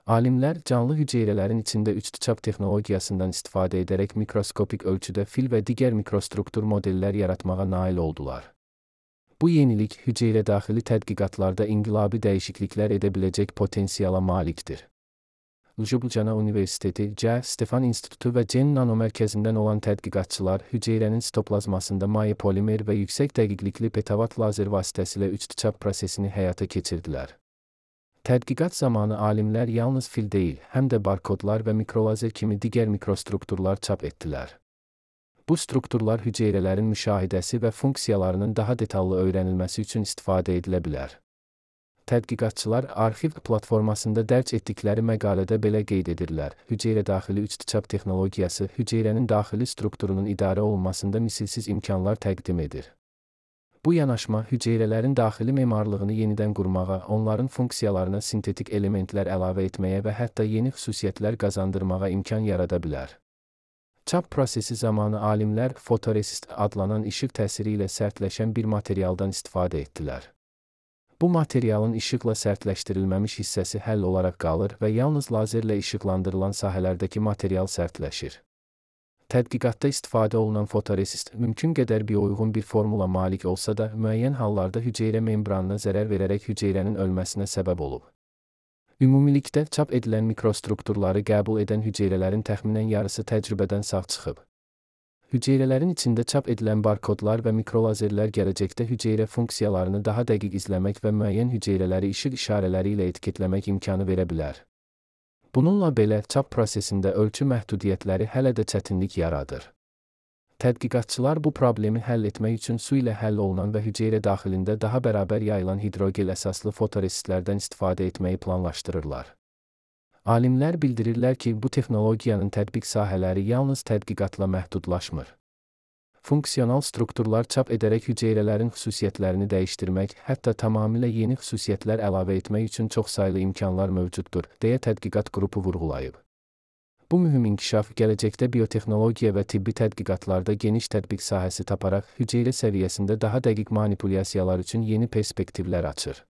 Alimlər canlı hüceyrələrin içində uçtu-çap texnologiyasından istifadə edərək mikroskopik ölçüdə fil və digər mikrostruktur modellər yaratmağa nail oldular. Bu yenilik hüceyrə daxili tədqiqatlarda inqilabi dəyişikliklər edə biləcək potensiala malikdir. Ljubljana Universiteti, C. Stefan İnstitutu və Gen Nano mərkəzindən olan tədqiqatçılar hüceyrənin sitoplazmasında maye polimer və yüksək dəqiqlikli petavat lazer vasitəsilə uçtu-çap prosesini həyata keçirdilər. Tədqiqat zamanı alimlər yalnız fil deyil, həm də barkodlar və mikrolazer kimi digər mikrostrukturlar çap etdilər. Bu strukturlar hüceyrələrin müşahidəsi və funksiyalarının daha detallı öyrənilməsi üçün istifadə edilə bilər. Tədqiqatçılar arxiv platformasında dərc etdikləri məqalədə belə qeyd edirlər: hüceyrə daxili uçtu-çap texnologiyası hüceyrənin daxili strukturunun idarə olunmasında misilsiz imkanlar təqdim edir. Bu yanaşma hüceyrələrin daxili memarlığını yenidən qurmağa, onların funksiyalarına sintetik elementlər əlavə etməyə və hətta yeni xüsusiyyətlər qazandırmağa imkan yarada bilər. Çap prosesi zamanı alimlər fotoresist adlanan işıq təsiri ilə sərtləşən bir materialdan istifadə etdilər. Bu materialın işıqla sərtləşdirilməmiş hissəsi həll olaraq qalır və yalnız lazerlə işıqlandırılan sahələrdəki material sərtləşir. Tədqiqatda istifadə olunan fotoresist mümkün qədər biouyğun bir formula malik olsa da, müəyyən hallarda hüceyrə membranına zərər verərək hüceyrənin ölməsinə səbəb olub. Ümumilikdə çap edilən mikrostrukturları qəbul edən hüceyrələrin təxminən yarısı təcrübədən sağ çıxıb. Hüceyrələrin içində çap edilən barkodlar və mikrolazerlər gələcəkdə hüceyrə funksiyalarını daha dəqiq izləmək və müəyyən hüceyrələri işıq işarələri ilə etiketləmək imkanı verə bilər. Bununla belə, çap prosesində ölçü məhdudiyyətləri hələ də çətinlik yaradır. Tədqiqatçılar bu problemi həll etmək üçün su ilə həll olunan və hüceyrə daxilində daha bərabər yayılan hidrogel əsaslı fotoresistlərdən istifadə etməyi planlaşdırırlar. Alimlər bildirirlər ki, bu texnologiyanın tətbiq sahələri yalnız tədqiqatla məhdudlaşmır. Funksional strukturlar çap edərək hüceyrələrin xüsusiyyətlərini dəyişdirmək, hətta tamamilə yeni xüsusiyyətlər əlavə etmək üçün çoxsaylı imkanlar mövcuddur, deyə tədqiqat qrupu vurğulayıb. Bu mühüm inkişaf gələcəkdə biotexnologiya və tibbi tədqiqatlarda geniş tətbiq sahəsi taparaq hüceyrə səviyyəsində daha dəqiq manipulyasiyalar üçün yeni perspektivlər açır.